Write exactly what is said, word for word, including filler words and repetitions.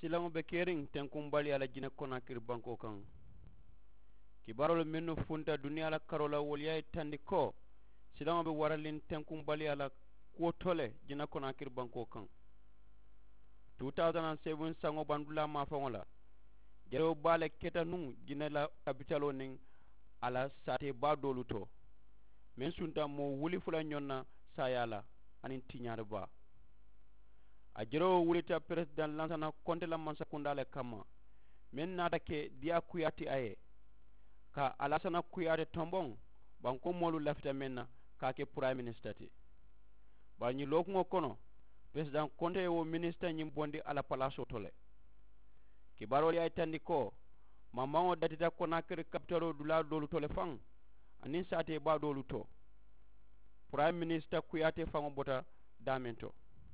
Silaŋo be keriŋ tenkuŋ baliyaa la jine konaakiri bankoo kaŋ. Kibaaroolu mennu funta duniyaa la karoo la wolu ye a yitandi ko silaŋo be waraliŋ tenkuŋ baliyaa la kuwo to le jine konaakiri bankoo kaŋ. Two thousand and seven saŋo bandulaa maafaŋo la, jarewo baa le keta nuŋ jine la kapitaloo niŋ a la saatee baa doolu to, meŋ sunta moo wuli fula ñoŋ na saayaa la aniŋ tiñaari baa. A jerewoo wulita peresidaŋ lansana konte la mansakundaa le kamma, meŋ naata ke diyaa kuyaa ti a ye ka alaasana kuyaate tomboŋ. Bankoo moolu lafita meŋ na ka a ke purayimi minisita ti. Bari ñiŋ lookuŋo kono, peresidaŋ konte ye wo minisita ñiŋ bondi a la palaasoo to le. Kibaaroolu ye a yitandi ko mambaŋo datita konaakiri kapitaloo dulaa doolu to le faŋ aniŋ saatee baa doolu to. Purayimi minisita kuyaate faŋo bota daameŋ to.